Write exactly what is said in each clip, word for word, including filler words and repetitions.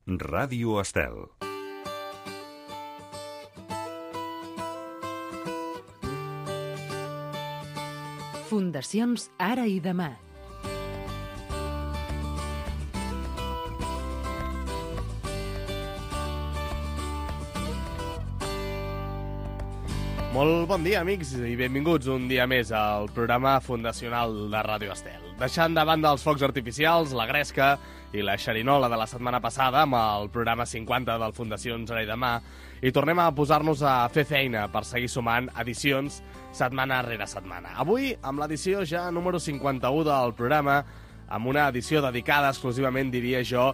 Ràdio Estel. Fundacions Ara i Demà. Molt bon dia, amics, i benvinguts un dia més al programa fundacional de Ràdio Estel. Deixant de banda els focs artificials, la gresca i la xerinola de la setmana passada amb el programa cinquanta del Fundacions Ara i Demà, i tornem a posar-nos a fer feina per seguir sumant edicions setmana rere setmana. Avui, amb l'edició ja número cinquanta-u del programa, amb una edició dedicada exclusivament, diria jo,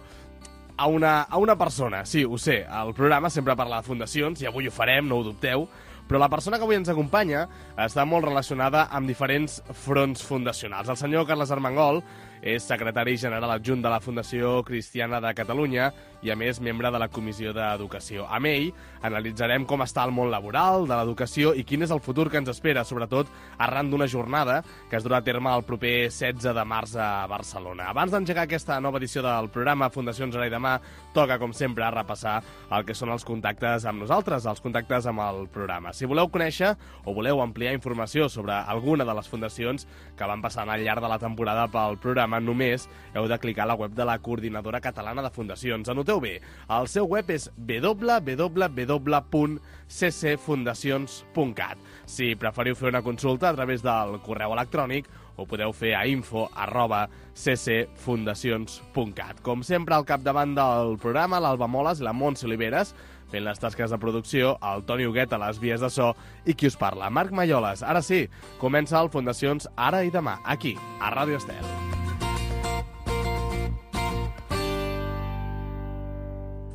a una, a una persona. Sí, ho sé, el programa sempre parla de fundacions, i avui ho farem, no ho dubteu, però la persona que avui ens acompanya està molt relacionada amb diferents fronts fundacionals. El senyor Carles Armengol és secretari general adjunt de la Fundació Cristiana de Catalunya i, a més, membre de la Comissió d'Educació. Amb ell analitzarem com està el món laboral, de l'educació i quin és el futur que ens espera, sobretot arran d'una jornada que es durà a terme el proper setze de març a Barcelona. Abans d'engegar aquesta nova edició del programa Fundacions Ara i Demà, toca, com sempre, repassar el que són els contactes amb nosaltres, els contactes amb el programa. Si voleu conèixer o voleu ampliar informació sobre alguna de les fundacions que van passant al llarg de la temporada pel programa, només heu de clicar a la web de la Coordinadora Catalana de Fundacions. Anoteu bé, el seu web és w w w punt c c fundacions punt cat. Si preferiu fer una consulta a través del correu electrònic, ho podeu fer a info arroba c c fundacions punt cat. Com sempre, al capdavant del programa, l'Alba Moles i la Montse Oliveres, fent les tasques de producció, el Toni Huguet a les vies de so i qui us parla, Marc Malloles. Ara sí, comença el Fundacions Ara i Demà, aquí, a Ràdio Estel.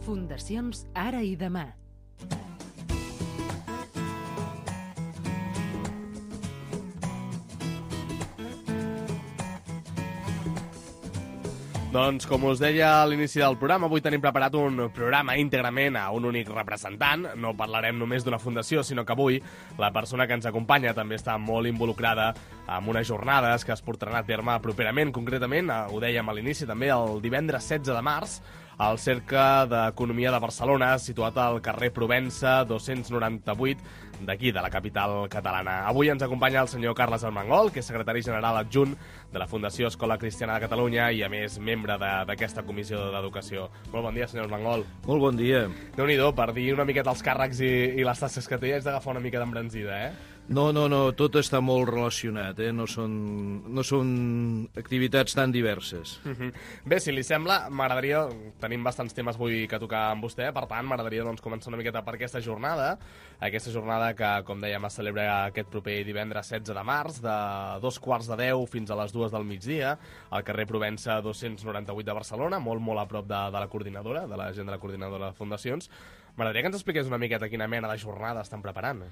Fundacions Ara i Demà. Doncs, com us deia a l'inici del programa, avui tenim preparat un programa íntegrament a un únic representant. No parlarem només d'una fundació, sinó que avui la persona que ens acompanya també està molt involucrada en unes jornades que es portaran a terme properament. Concretament, ho dèiem a l'inici també, el divendres setze de març, al Cercle d'Economia de Barcelona, situat al carrer Provença dos-cents noranta-vuit, d'aquí, de la capital catalana. Avui ens acompanya el senyor Carles Armengol, que és secretari general adjunt de la Fundació Escola Cristiana de Catalunya i, a més, membre d'aquesta comissió d'educació. Molt bon dia, senyor Armengol. Molt bon dia. Déu-n'hi-do, per dir una miqueta els càrrecs i, i les tasques que té, haig d'agafar una mica d'embranzida, eh? No, no, no, tot està molt relacionat, eh? No són, no són activitats tan diverses. Uh-huh. Bé, si li sembla, m'agradaria... Tenim bastants temes avui que tocar amb vostè, per tant, m'agradaria doncs, començar una miqueta per aquesta jornada, aquesta jornada que, com dèiem, es celebra aquest proper divendres setze de març, de dos quarts de deu fins a les dues del migdia, al carrer Provença dos-cents noranta-vuit de Barcelona, molt, molt a prop de, de la coordinadora, de la gent de la coordinadora de fundacions. M'agradaria que ens expliqués una miqueta quina mena de jornada estan preparant.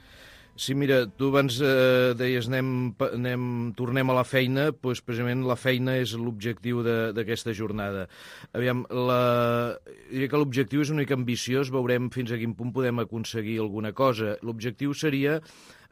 Sí, mira, tu abans eh, deies anem, anem, tornem a la feina, doncs precisament la feina és l'objectiu d'aquesta jornada. Aviam, la... diria que l'objectiu és una mica ambiciós, veurem fins a quin punt podem aconseguir alguna cosa. L'objectiu seria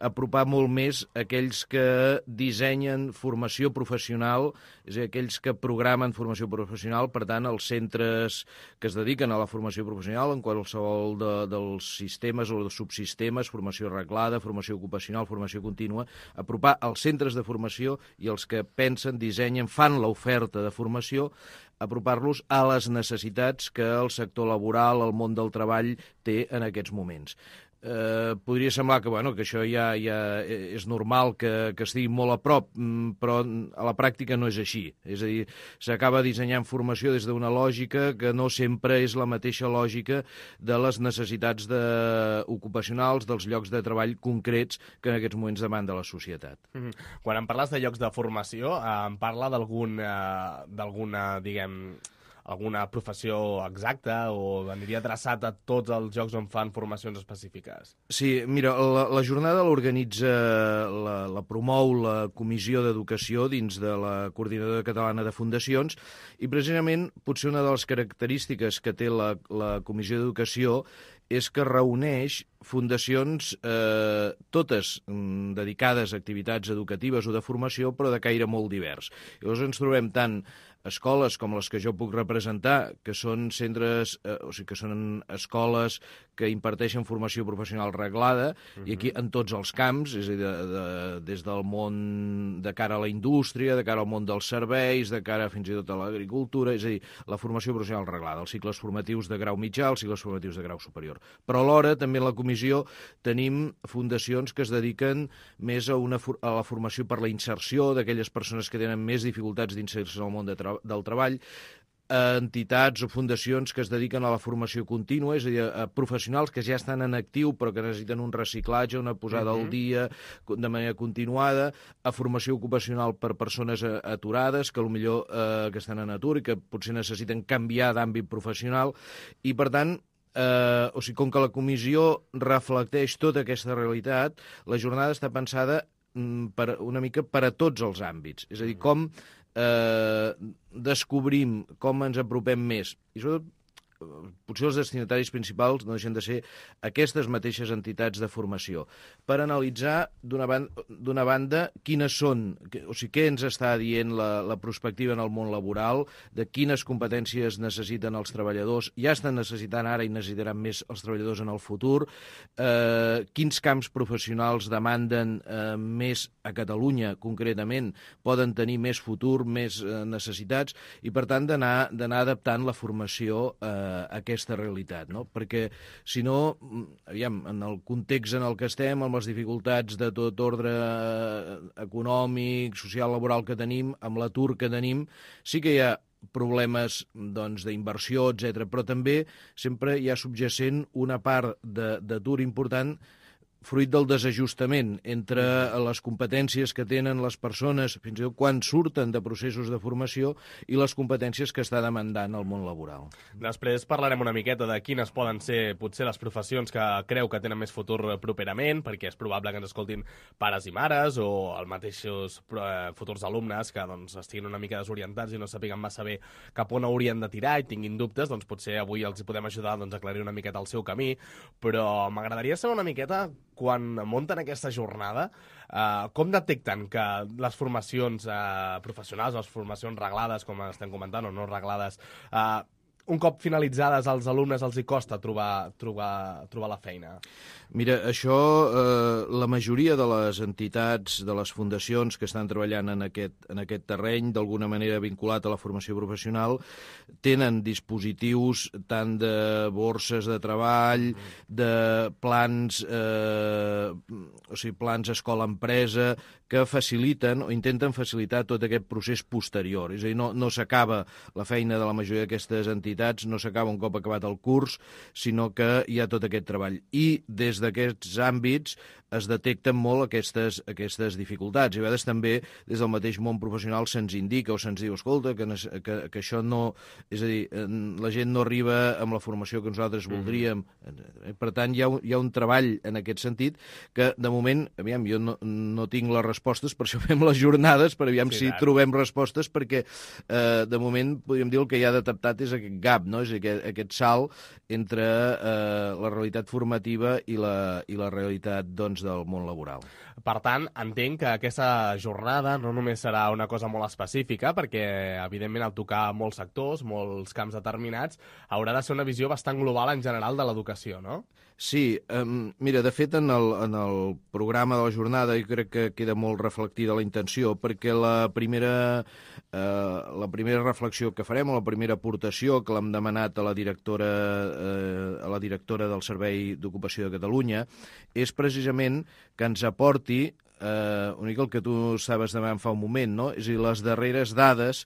apropar molt més aquells que dissenyen formació professional, és a dir, aquells que programen formació professional, per tant, els centres que es dediquen a la formació professional en qualsevol de, dels sistemes o dels subsistemes, formació reglada, formació ocupacional, formació contínua, apropar els centres de formació i els que pensen, dissenyen, fan l'oferta de formació, apropar-los a les necessitats que el sector laboral, el món del treball té en aquests moments. Eh, podria semblar que, bueno, que això ja, ja és normal que, que estigui molt a prop, però a la pràctica no és així. És a dir, s'acaba dissenyant formació des d'una lògica que no sempre és la mateixa lògica de les necessitats de... ocupacionals dels llocs de treball concrets que en aquests moments demanda la societat. Mm-hmm. Quan em parles de llocs de formació, eh, em parla d'algun, eh, d'alguna, diguem... alguna professió exacta o aniria adreçat a tots els llocs on fan formacions específiques? Sí, mira, la, la jornada l'organitza, la, la promou la Comissió d'Educació dins de la Coordinadora Catalana de Fundacions i precisament potser una de les característiques que té la, la Comissió d'Educació és que reuneix fundacions eh, totes mm, dedicades a activitats educatives o de formació, però de caire molt divers. Llavors ens trobem tant escoles com les que jo puc representar, que són centres, eh, o sigui, que són escoles que imparteixen formació professional reglada, uh-huh. i aquí en tots els camps, és a dir, de, de, des del món de cara a la indústria, de cara al món dels serveis, de cara fins i tot a l'agricultura, és a dir, la formació professional reglada, els cicles formatius de grau mitjà, els cicles formatius de grau superior. Però alhora, també en la comissió, tenim fundacions que es dediquen més a, una, a la formació per la inserció d'aquelles persones que tenen més dificultats d'inserció en el món de tra del treball, a entitats o fundacions que es dediquen a la formació contínua, és a dir, a professionals que ja estan en actiu però que necessiten un reciclatge, una posada uh-huh. al dia de manera continuada, a formació ocupacional per persones aturades que potser eh, que estan en atur i que potser necessiten canviar d'àmbit professional, i per tant, eh, o sigui, com que la comissió reflecteix tota aquesta realitat, la jornada està pensada mm, per, una mica per a tots els àmbits, és a dir, com Eh, descobrim, com ens apropem més, i sobretot potser els destinataris principals no deixen de ser aquestes mateixes entitats de formació, per analitzar d'una banda, d'una banda quines són, o sigui, què ens està dient la, la prospectiva en el món laboral, de quines competències necessiten els treballadors, ja estan necessitant ara i necessitaran més els treballadors en el futur, eh, quins camps professionals demanden eh, més a Catalunya, concretament, poden tenir més futur, més eh, necessitats, i per tant d'anar d'anar adaptant la formació eh, aquesta realitat, no? Perquè, si no, aviam, en el context en el que estem, amb les dificultats de tot ordre econòmic, social, laboral que tenim, amb l'atur que tenim, sí que hi ha problemes doncs, d'inversió, etcètera, però també sempre hi ha subjacent una part d'atur important fruit del desajustament entre les competències que tenen les persones, fins i tot quan surten de processos de formació, i les competències que està demandant el món laboral. Després parlarem una miqueta de quines poden ser potser les professions que creu que tenen més futur properament, perquè és probable que ens escoltin pares i mares o els mateixos futurs alumnes que doncs, estiguin una mica desorientats i no sàpiguen massa bé cap on haurien de tirar i tinguin dubtes, doncs potser avui els podem ajudar doncs, a aclarir una miqueta el seu camí, però m'agradaria saber una miqueta quan munten aquesta jornada, eh, com detecten que les formacions eh, professionals, les formacions reglades, com estem comentant, o no reglades, eh, un cop finalitzades als alumnes els hi costa trobar, trobar, trobar la feina? Mira, això, eh, la majoria de les entitats, de les fundacions que estan treballant en aquest, en aquest terreny, d'alguna manera vinculat a la formació professional, tenen dispositius tant de borses de treball, de plans, eh, o sigui, plans escola-empresa, que faciliten o intenten facilitar tot aquest procés posterior. És a dir, no, no s'acaba la feina de la majoria d'aquestes entitats, no s'acaba un cop acabat el curs, sinó que hi ha tot aquest treball. I des d'aquests àmbits es detecten molt aquestes, aquestes dificultats. I a vegades també des del mateix món professional se'ns indica o se'ns diu, escolta, que, que, que això no... És a dir, la gent no arriba amb la formació que nosaltres voldríem. Mm. Per tant, hi ha, hi ha un treball en aquest sentit que, de moment, aviam, jo no, no tinc les respostes, per això fem les jornades, per aviam sí, si clar. trobem respostes, perquè, eh, de moment, podríem dir el que hi ha detectat és aquest gap, no? És aquest, aquest salt entre eh, la realitat formativa i la, i la realitat, doncs, del món laboral. Per tant, entenc que aquesta jornada no només serà una cosa molt específica, perquè, evidentment, al tocar molts sectors, molts camps determinats, haurà de ser una visió bastant global en general de l'educació, no? Sí, um, mira, de fet, en el, en el programa de la jornada jo crec que queda molt reflectida la intenció, perquè la primera, eh, la primera reflexió que farem, o la primera aportació que l'hem demanat a la directora, eh, a la directora del Servei d'Ocupació de Catalunya, és precisament que ens aporti eh, una mica el que tu estaves demanant fa un moment, no? És a dir, les darreres dades,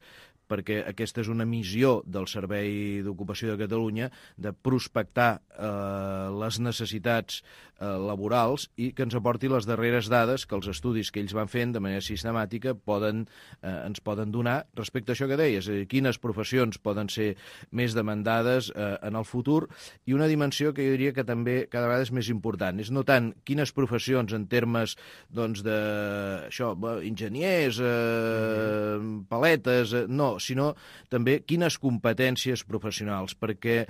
perquè aquesta és una missió del Servei d'Ocupació de Catalunya, de prospectar eh, les necessitats eh, laborals i que ens aporti les darreres dades que els estudis que ells van fent de manera sistemàtica poden, eh, ens poden donar respecte a això que deies, és a dir, quines professions poden ser més demandades eh, en el futur, i una dimensió que jo diria que també cada vegada és més important, és no tant quines professions en termes doncs, de això, enginyers, eh, paletes, eh, no, sinó també quines competències professionals, perquè,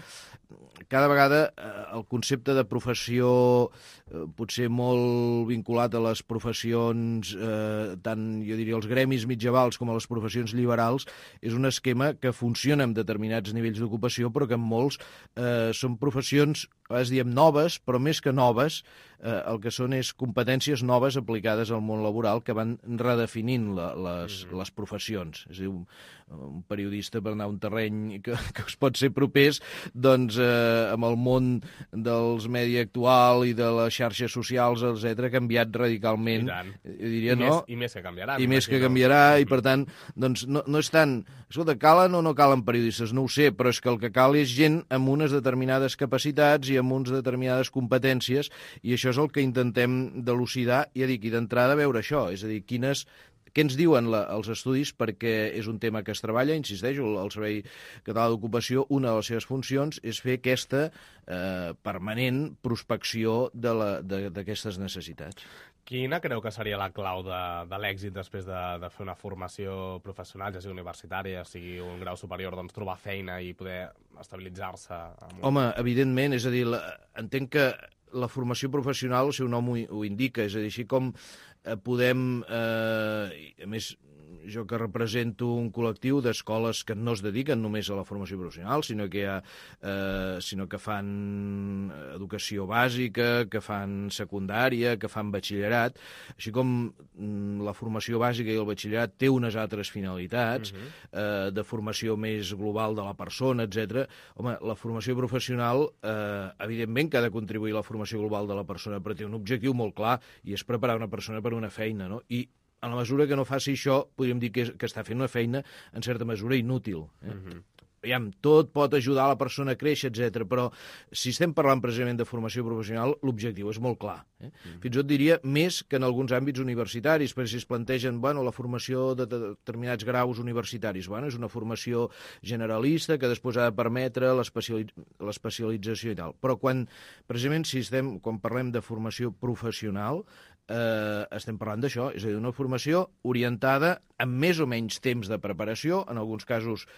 cada vegada eh, el concepte de professió eh, potser molt vinculat a les professions, eh, tant jo diria els gremis mitjavals com a les professions liberals, és un esquema que funciona en determinats nivells d'ocupació, però que en molts eh, són professions, a vegades diem noves, però més que noves, eh, el que són és competències noves aplicades al món laboral que van redefinint la, les, mm-hmm. les professions. És a dir, un, un periodista per anar a un terreny que, que us pot ser propers, doncs eh, amb el món dels medi actual i de les xarxes socials, etcètera, ha canviat radicalment. Jo diria, I, no? més, I més que canviarà. I més que canviarà, i per tant, doncs no, no és tant... Escolta, calen o no calen periodistes? No ho sé, però és que el que cal és gent amb unes determinades capacitats i amb unes determinades competències, i això és el que intentem delucidar, i ja dic, i d'entrada veure això, és a dir, quines... Què ens diuen la, els estudis? Perquè és un tema que es treballa, insisteixo, el Servei Català d'Ocupació, una de les seves funcions és fer aquesta eh, permanent prospecció d'aquestes necessitats. Quina creu que seria la clau de, de l'èxit després de, de fer una formació professional, ja sigui universitària, ja sigui un grau superior, doncs trobar feina i poder estabilitzar-se? Un... Home, evidentment, és a dir, la, entenc que la formació professional, el seu nom ho, ho indica, és a dir, així com eh, podem, eh, a més, jo que represento un col·lectiu d'escoles que no es dediquen només a la formació professional, sinó que, ha, eh, sinó que fan educació bàsica, que fan secundària, que fan batxillerat, així com mm, la formació bàsica i el batxillerat té unes altres finalitats, uh-huh. eh, de formació més global de la persona, etcètera. Home, la formació professional, eh, evidentment que ha de contribuir a la formació global de la persona, però té un objectiu molt clar, i és preparar una persona per una feina, no? I en la mesura que no faci això, podríem dir que, és, que està fent una feina, en certa mesura, inútil. Eh? Uh-huh. Aviam, tot pot ajudar la persona a créixer, etcètera, però si estem parlant precisament de formació professional, l'objectiu és molt clar. Eh? Uh-huh. Fins i tot diria més que en alguns àmbits universitaris, perquè si es plantegen bueno, la formació de determinats graus universitaris, bueno, és una formació generalista que després ha de permetre l'especialització i tal. Però quan, precisament, si estem, quan parlem de formació professional, Eh, estem parlant d'això, és a dir, una formació orientada amb més o menys temps de preparació, en alguns casos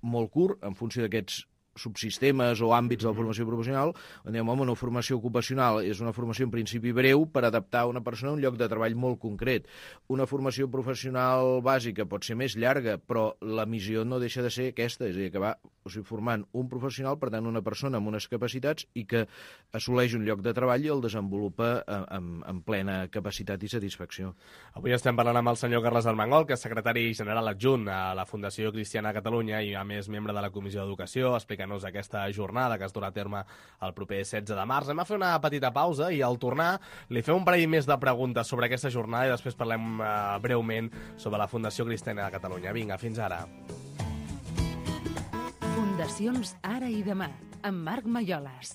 molt curt, en funció d'aquests subsistemes o àmbits de la formació professional, on diem, home, una formació ocupacional és una formació en principi breu per adaptar una persona a un lloc de treball molt concret. Una formació professional bàsica pot ser més llarga, però la missió no deixa de ser aquesta, és a dir, acabar o sigui, formant un professional, per tant, una persona amb unes capacitats i que assoleix un lloc de treball i el desenvolupa amb, amb plena capacitat i satisfacció. Avui estem parlant amb el senyor Carles Armengol, que és secretari general adjunt a la Fundació Cristiana de Catalunya i, a més, membre de la Comissió d'Educació, explicant-nos aquesta jornada que es durà a terme el proper setze de març. Anem a fer una petita pausa i al tornar li fem un parell més de preguntes sobre aquesta jornada i després parlem eh, breument sobre la Fundació Cristiana de Catalunya. Vinga, fins ara. Fundacions Ara i Demà, amb Marc Malloles.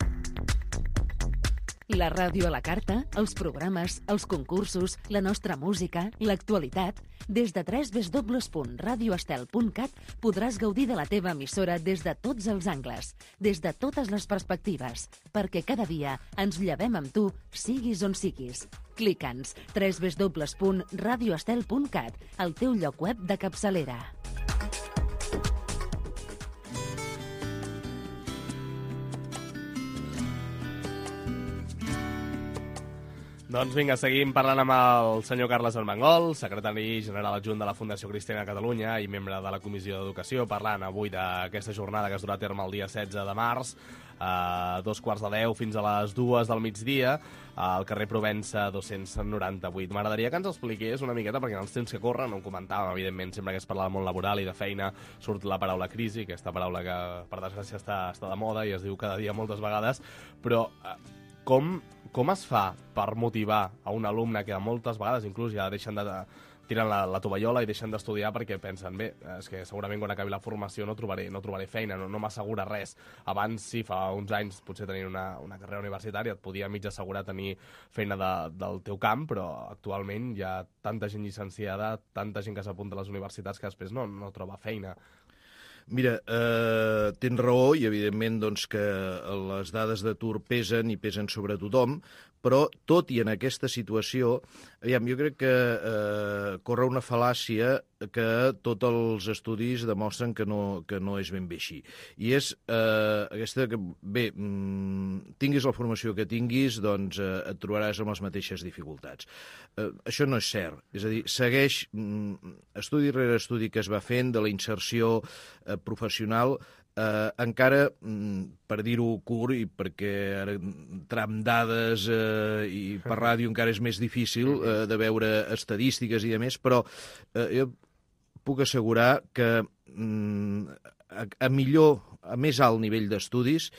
La ràdio a la carta, els programes, els concursos, la nostra música, l'actualitat... Des de w w w punt radio estel punt cat podràs gaudir de la teva emissora des de tots els angles, des de totes les perspectives, perquè cada dia ens llevem amb tu, siguis on siguis. Clica'ns w w w punt radio estel punt cat, el teu lloc web de capçalera. Doncs vinga, seguim parlant amb el senyor Carles Armengol, secretari general adjunt de la Fundació Cristiana de Catalunya i membre de la Comissió d'Educació, parlant avui d'aquesta jornada que es durà a terme el dia setze de març, a dos quarts de deu fins a les dues del migdia, al carrer Provença dos-cents noranta-vuit. M'agradaria que ens expliqués una miqueta, perquè en els temps que corren, no ho comentàvem, evidentment, sempre que es parla del món laboral i de feina, surt la paraula crisi, aquesta paraula que, per desgràcia, està, està de moda i es diu cada dia moltes vegades, però eh, com... Com es fa per motivar a un alumne que moltes vegades inclús ja deixen de tirar la, la tovallola i deixen d'estudiar perquè pensen, bé, és que segurament quan acabi la formació no trobaré, no trobaré feina, no, no m'assegura res. Abans, sí, fa uns anys, potser tenir una, una carrera universitària et podia mig assegurar tenir feina de, del teu camp, però actualment hi ha tanta gent llicenciada, tanta gent que s'apunta a les universitats que després no, no troba feina. Mira, eh, tens raó i evidentment doncs, que les dades d'atur pesen i pesen sobre tothom, però tot i en aquesta situació, aviam, jo crec que eh, corre una fal·làcia que tots els estudis demostren que no, que no és ben bé així. I és eh, aquesta que, bé, mm, tinguis la formació que tinguis, doncs eh, et trobaràs amb les mateixes dificultats. Eh, això no és cert. És a dir, segueix mm, estudi rere estudi que es va fent de la inserció eh, professional. Eh, encara, per dir-ho curt, i perquè ara entrar amb dades eh, i per ràdio encara és més difícil eh, de veure estadístiques i demés, però eh, jo puc assegurar que mm, a, a millor, a més alt nivell d'estudis,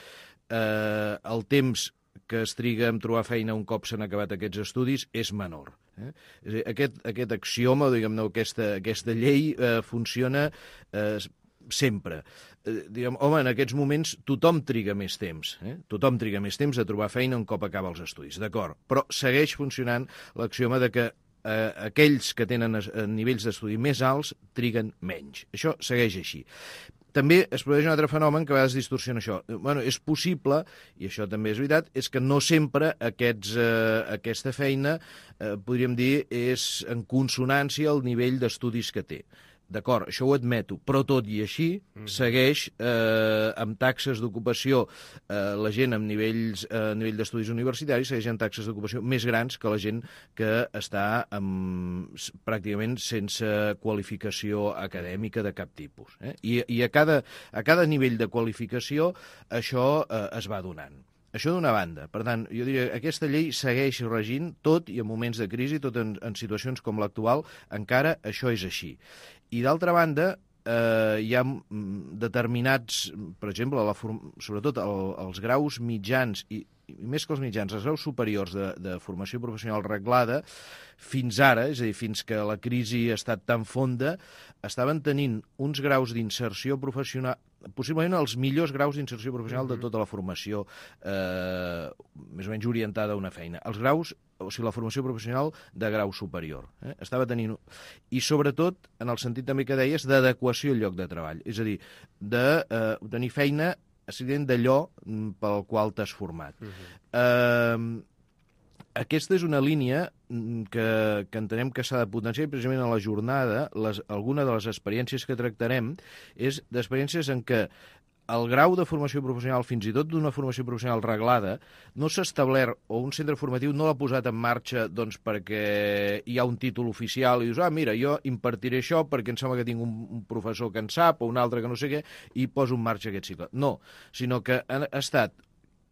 eh, el temps que es triga en trobar feina un cop s'han acabat aquests estudis és menor. Eh? És a dir, aquest, aquest axioma, diguem-ne, aquesta, aquesta llei eh, funciona eh, sempre. Eh, diguem, home, en aquests moments tothom triga més temps. Eh? Tothom triga més temps a trobar feina un cop acaba els estudis, d'acord. Però segueix funcionant l'axioma de que eh, aquells que tenen es, nivells d'estudi més alts triguen menys. Això segueix així. També es produeix un altre fenomen que a vegades distorsiona això. Bueno, és possible, i això també és veritat, és que no sempre aquests, eh, aquesta feina, eh, podríem dir, és en consonància al nivell d'estudis que té. D'acord, això ho admeto, però tot i així segueix eh, amb taxes d'ocupació, eh, la gent amb nivells, eh, nivell d'estudis universitaris segueix amb taxes d'ocupació més grans que la gent que està amb, pràcticament sense qualificació acadèmica de cap tipus. Eh? I, i a, cada, a cada nivell de qualificació això eh, es va donant. Això d'una banda. Per tant, jo diria que aquesta llei segueix regint tot i en moments de crisi, tot en, en situacions com l'actual, encara això és així. I d'altra banda, eh, hi ha determinats, per exemple, la form... sobretot el, els graus mitjans i, i més que els mitjans, els graus superiors de, de formació professional reglada, fins ara, és a dir, fins que la crisi ha estat tan fonda, estaven tenint uns graus d'inserció professional, possiblement els millors graus d'inserció professional de tota la formació eh, més o menys orientada a una feina. Els graus, o sigui, la formació professional de grau superior. Eh? Estava tenint... I sobretot, en el sentit també que deies, d'adequació al lloc de treball. És a dir, de eh, tenir feina d'allò pel qual t'has format. Uh-huh. eh, Aquesta és una línia que, que entenem que s'ha de potenciar i precisament a la jornada, les, alguna de les experiències que tractarem és d'experiències en què el grau de formació professional, fins i tot d'una formació professional reglada, no s'ha establert, o un centre formatiu no l'ha posat en marxa doncs, perquè hi ha un títol oficial i dius, ah, mira, jo impartiré això perquè em sembla que tinc un, un professor que en sap o un altre que no sé què, i poso en marxa aquest cicle. No, sinó que ha estat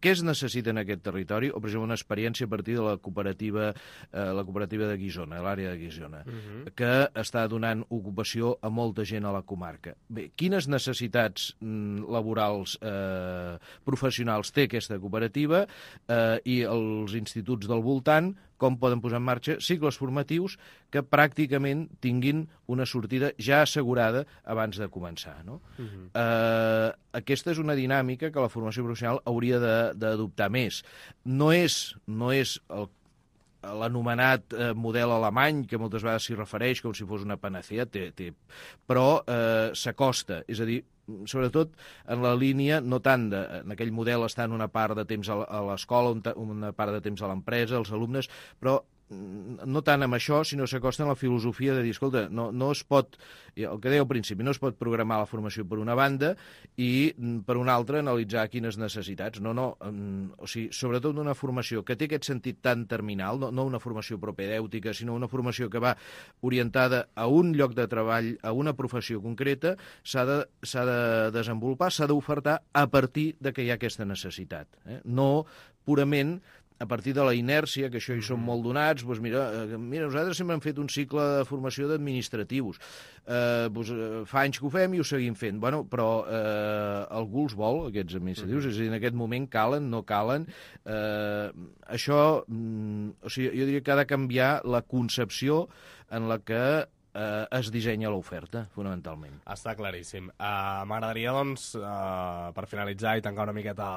què es necessita en aquest territori, o per exemple una experiència a partir de la cooperativa, eh, la cooperativa de Guissona, l'àrea de Guissona, uh-huh. que està donant ocupació a molta gent a la comarca. Bé, quines necessitats mm, laborals eh, professionals té aquesta cooperativa eh, i els instituts del voltant, com poden posar en marxa cicles formatius que pràcticament tinguin una sortida ja assegurada abans de començar. No? Uh-huh. eh, aquesta és una dinàmica que la formació professional hauria d'adoptar més. No és, no és el l'anomenat eh, model alemany, que moltes vegades s'hi refereix com si fos una panacea, té, té, però eh, s'acosta, és a dir, sobretot en la línia, no tant de, en aquell model estar en una part de temps a l'escola, una part de temps a l'empresa, els alumnes, però no tant amb això, sinó s'acosta en la filosofia de dir, escolta, no, no es pot, el que deia al principi, no es pot programar la formació per una banda i per una altra analitzar quines necessitats. No, no, o sigui, sobretot una formació que té aquest sentit tan terminal, no, no una formació propedèutica, sinó una formació que va orientada a un lloc de treball, a una professió concreta, s'ha de, s'ha de desenvolupar, s'ha d'ofertar a partir de que hi ha aquesta necessitat. Eh? No purament a partir de la inèrcia, que això hi som molt donats, doncs mira, mira, nosaltres sempre hem fet un cicle de formació d'administratius. Eh, doncs, fa anys que ho fem i ho seguim fent. Bueno, però eh, algú els vol, aquests administratius, és a dir, en aquest moment calen, no calen. Eh, això, mm, o sigui, jo diria que ha de canviar la concepció en la que eh, es dissenya l'oferta, fonamentalment. Està claríssim. Uh, M'agradaria, doncs, uh, per finalitzar i tancar una miqueta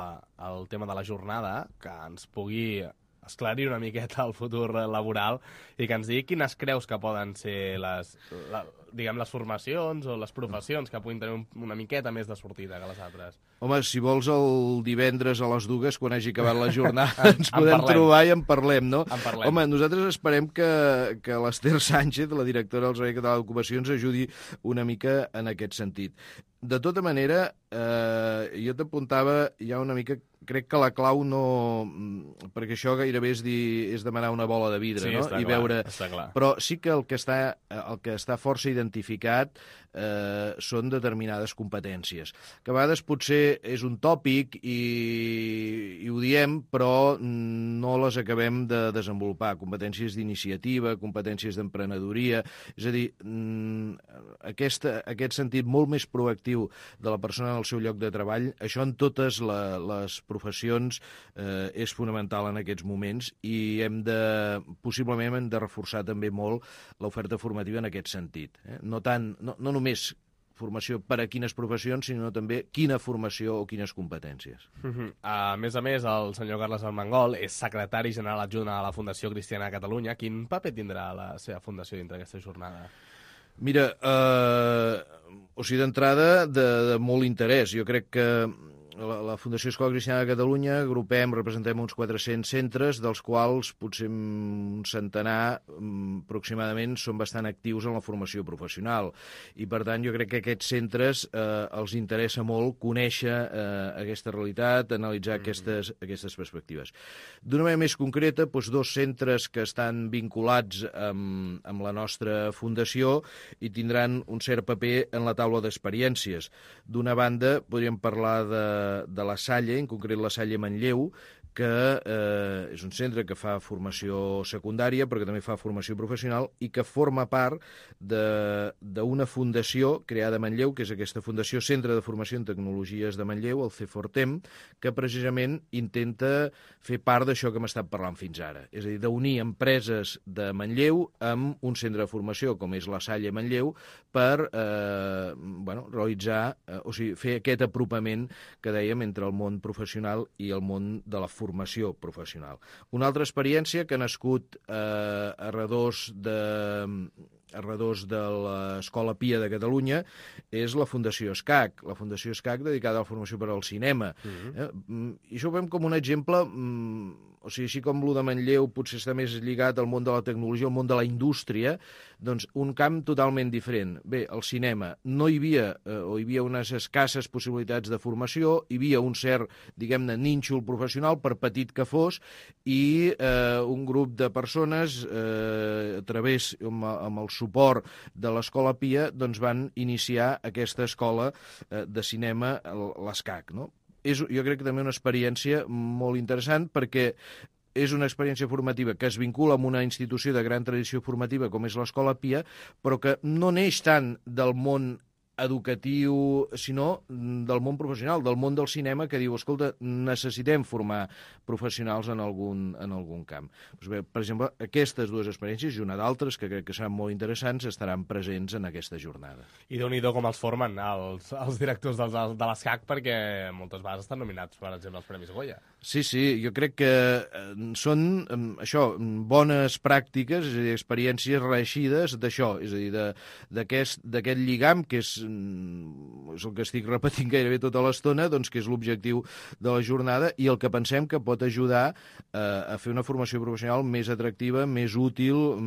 el tema de la jornada, que ens pugui uh, esclarir una miqueta el futur laboral i que ens digui quines creus que poden ser les, la, diguem, les formacions o les professions que puguin tenir un, una miqueta més de sortida que les altres. Home, si vols el divendres a les dues, quan hagi acabat la jornada, ens podem parlem. trobar i en parlem, no? En parlem. Home, nosaltres esperem que, que l'Ester Sánchez, la directora del Servei Català d'Ocupació, ens ajudi una mica en aquest sentit. De tota manera, eh, jo t'apuntava ja una mica... Crec que la clau no... Perquè això gairebé és, dir, és demanar una bola de vidre, sí, no? Està I clar, veure... està clar. Però sí que el que està, el que està força identificat eh, són determinades competències, que a vegades potser és un tòpic i, i ho diem, però no les acabem de desenvolupar. Competències d'iniciativa, competències d'emprenedoria... És a dir, aquesta, aquest sentit molt més proactiu de la persona en el seu lloc de treball, això en totes la, les professions eh, és fonamental en aquests moments i hem de, possiblement hem de reforçar també molt l'oferta formativa en aquest sentit. Eh? No, tant, no, no només formació per a quines professions, sinó també quina formació o quines competències. Uh-huh. A més a més, el senyor Carles Armengol és secretari general adjunt a la Fundació Cristiana de Catalunya. Quin paper tindrà la seva fundació dintre d'aquesta jornada? Mira, eh, o sigui, d'entrada, de, de molt interès. Jo crec que la, la Fundació Escola Cristiana de Catalunya agrupem, representem uns quatre-cents centres, dels quals potser un centenar aproximadament són bastant actius en la formació professional. I, per tant, jo crec que aquests centres eh, els interessa molt conèixer eh, aquesta realitat, analitzar mm-hmm. aquestes, aquestes perspectives. D'una manera més concreta, doncs, dos centres que estan vinculats amb, amb la nostra fundació i tindran un cert paper en la taula d'experiències. D'una banda, podríem parlar de de la Salle, en concret la Salle Manlleu, que eh, és un centre que fa formació secundària, però que també fa formació professional i que forma part d'una fundació creada a Manlleu, que és aquesta Fundació Centre de Formació en Tecnologies de Manlleu, el C quatre T E M, que precisament intenta fer part d'això que hem estat parlant fins ara. És a dir, d'unir empreses de Manlleu amb un centre de formació, com és la Salle Manlleu, per eh, bueno, realitzar, eh, o sigui, fer aquest apropament que dèiem entre el món professional i el món de la formació formació professional. Una altra experiència que ha nascut eh, a redós de... a redós de l'Escola Pia de Catalunya és la Fundació ESCAC, la Fundació ESCAC dedicada a la formació per al cinema. Uh-huh. eh? I això ho veiem com un exemple, o sigui, així com el de Manlleu potser està més lligat al món de la tecnologia, al món de la indústria, doncs un camp totalment diferent. Bé, el cinema no hi havia, eh, o hi havia unes escasses possibilitats de formació, hi havia un cert, diguem-ne, nínxol professional, per petit que fos, i eh, un grup de persones, eh, a través, amb, amb el suport de l'Escola Pia, doncs van iniciar aquesta escola eh, de cinema, l'ESCAC, no? És, jo crec que també una experiència molt interessant perquè és una experiència formativa que es vincula amb una institució de gran tradició formativa com és l'Escola Pia, però que no neix tant del món educatiu, sinó del món professional, del món del cinema, que diu, escolta, necessitem formar professionals en algun, en algun camp. Doncs bé, per exemple, aquestes dues experiències i una d'altres, que crec que seran molt interessants, estaran presents en aquesta jornada. I Déu-n'hi-do com els formen els, els directors dels, de l'ESCAC, perquè moltes vegades estan nominats, per exemple, als Premis Goya. Sí, sí, jo crec que són, això, bones pràctiques, és a dir, experiències reeixides d'això, és a dir, d'aquest lligam que és és el que estic repetint gairebé tota l'estona, doncs que és l'objectiu de la jornada i el que pensem que pot ajudar eh, a fer una formació professional més atractiva, més útil,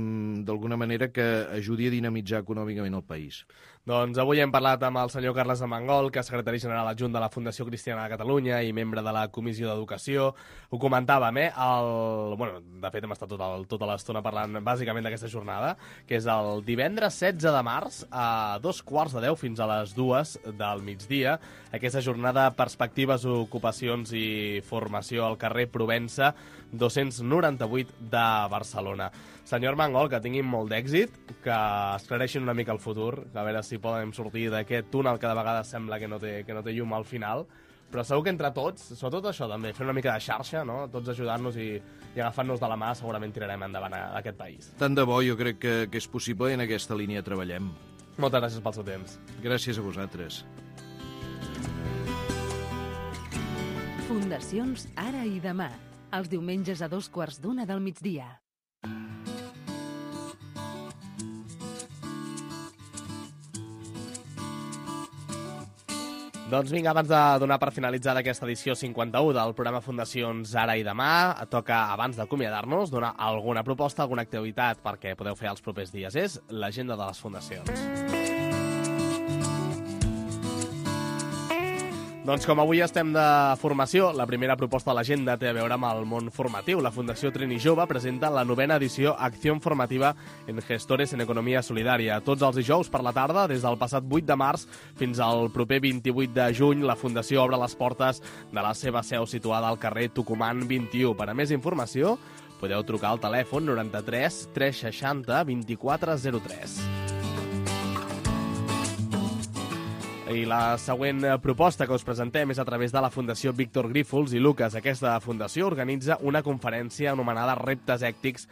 d'alguna manera que ajudi a dinamitzar econòmicament el país. Doncs avui hem parlat amb el senyor Carles Armengol, que és secretari general adjunt de la Fundació Cristiana de Catalunya i membre de la Comissió d'Educació. Ho comentàvem, eh? El... Bueno, de fet, hem estat tota, tota l'estona parlant bàsicament d'aquesta jornada, que és el divendres setze de març a dos quarts de deu fins a les dues del migdia. Aquesta jornada Perspectives, Ocupacions i Formació al carrer Provença dos-cents noranta-vuit de Barcelona. Senyor Armengol, que tinguin molt d'èxit, que esclareixin una mica el futur, que a veure si podem sortir d'aquest túnel que de vegades sembla que no té, que no té llum al final, però segur que entre tots, sobretot això també, fer una mica de xarxa, no? Tots ajudant-nos i, i agafant-nos de la mà, segurament tirarem endavant a, a aquest país. Tant de bo, jo crec que, que és possible i en aquesta línia treballem. Moltes gràcies pel seu temps. Gràcies a vosaltres. Fundacions Ara i Demà. els diumenges a dos quarts d'una del migdia. Doncs vinga, abans de donar per finalitzada aquesta edició cinquanta-u del programa Fundacions Ara i Demà, toca, abans d'acomiadar-nos, donar alguna proposta, alguna activitat perquè podeu fer els propers dies. És l'agenda de les fundacions. Doncs com avui estem de formació, la primera proposta de l'agenda té a veure amb el món formatiu. La Fundació Trini Jove presenta la novena edició Acció Formativa en Gestores en Economia Solidària. Tots els dijous per la tarda, des del passat vuit de març fins al proper vint-i-vuit de juny, la Fundació obre les portes de la seva seu situada al carrer Tucumán vint-i-u. Per a més informació, podeu trucar al telèfon noranta-tres tres seixanta vint-i-quatre zero tres. I la següent proposta que us presentem és a través de la Fundació Víctor Grífols i Lucas. Aquesta fundació organitza una conferència anomenada Reptes Ètics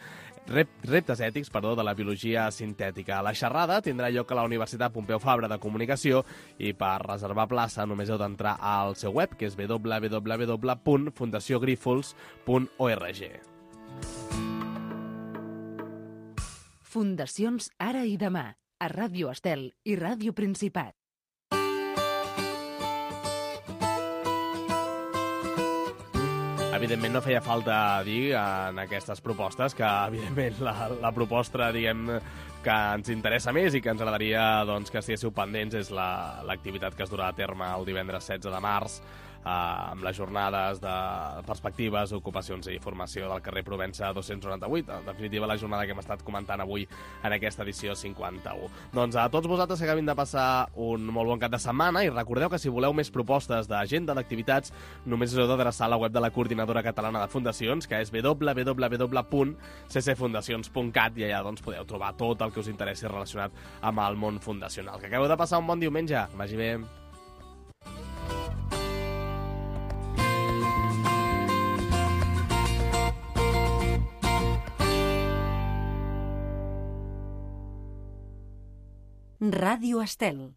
Rep, reptes ètics perdó, de la biologia sintètica. La xerrada tindrà lloc a la Universitat Pompeu Fabra de Comunicació i per reservar plaça només heu d'entrar al seu web, que és w w w punt fundació grífols punt org. Fundacions Ara i Demà, a Ràdio Estel i Ràdio Principat. Evidentment no feia falta dir en aquestes propostes que, evidentment, la, la proposta, diguem, que ens interessa més i que ens agradaria doncs, que estiguéssiu pendents és la, l'activitat que es durà a terme el divendres setze de març eh, amb les jornades de perspectives, ocupacions i formació del carrer Provença dos-cents noranta-vuit. En definitiva, la jornada que hem estat comentant avui en aquesta edició cinquanta-u. Doncs a tots vosaltres que acabin de passar un molt bon cap de setmana i recordeu que si voleu més propostes d'agenda d'activitats només us heu d'adreçar a la web de la Coordinadora Catalana de Fundacions, que és w w w punt c c fundacions punt cat, i allà doncs, podeu trobar tot el que us interessi relacionat amb el món fundacional. Que acabeu de passar un bon diumenge. Vagi bé. Ràdio Estel.